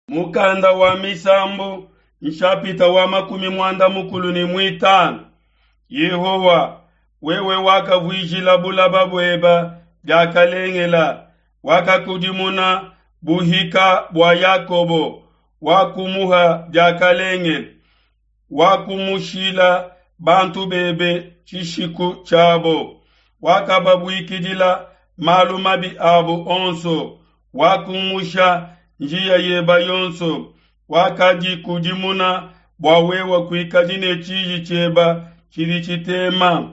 Mukanda wa Misambu nshapita wa 45. Yehowa, wewe wakavuijila bulaba bueba diakalengela, wakakudimuna buhika bua Yakobo, wakumuha diakalengele, wakumushila bantu bebe tshishiku tshiabo, wakababuikidila malu mabi abo onso, wakumusha njiya yeba yonso, wakadikudimuna bua wewe kuikadi ne tshiji tshieba tshidi tshitema.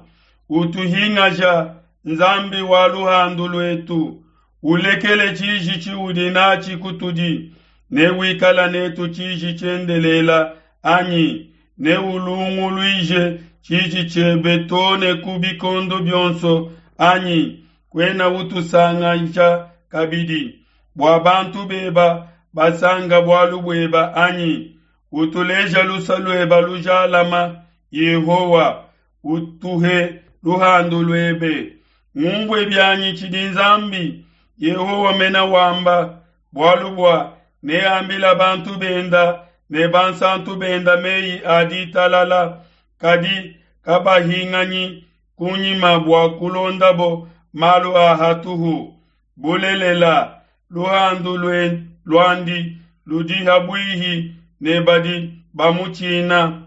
Utuhingaja, Nzambi wa luhandu luetu, ulekele tshiji tshiudi natshi kutudi, ne wikala netu tshiji tshiendelela anyi? Ne ulunguluije tshiji tshiebe too ne ku bikondo bionso anyi? Kuena utusangasha kabidi bua bantu beba basanka bualu bueba anyi? Utuleja lusa lueba lujalama, Yehowa, utuhe luhandu luebe. Ngumvue bianyi tshidi Nzambi Yehowa mena wamba, bualu bua neambila bantu benda ne bansantu benda meyi a ditalala, kadi kabahinganyi kunyima bua kulondabo malu a hatuhu. Bulelela, luhandu luandi ludi habuihi ne badi bamutshina,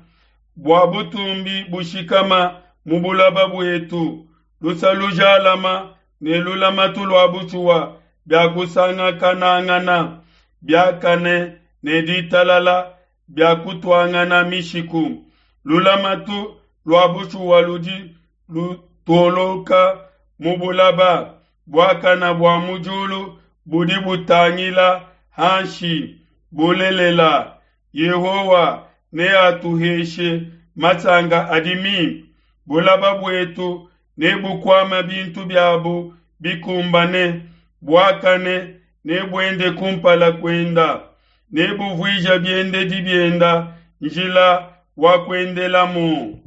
bua butumbi bushikama mu bulaba buetu. Lusa lujalama ne lulamatu lua bushuwa biakusangakanangana, biakane ne ditalala biakutuangana mishiku. Lulamatu lua bushuwa ludi lutoloka mu bulaba, buakana bua mu diulu budi butangila hanshi. Bulelela, Yehowa neatuheshe masanka adi mimpe, bulaba buetu nebukuame bintu biabu bikumbane, buakane nebuende kumpala kuenda, nebuvuije biendedi bienda njila wa kuendelamu.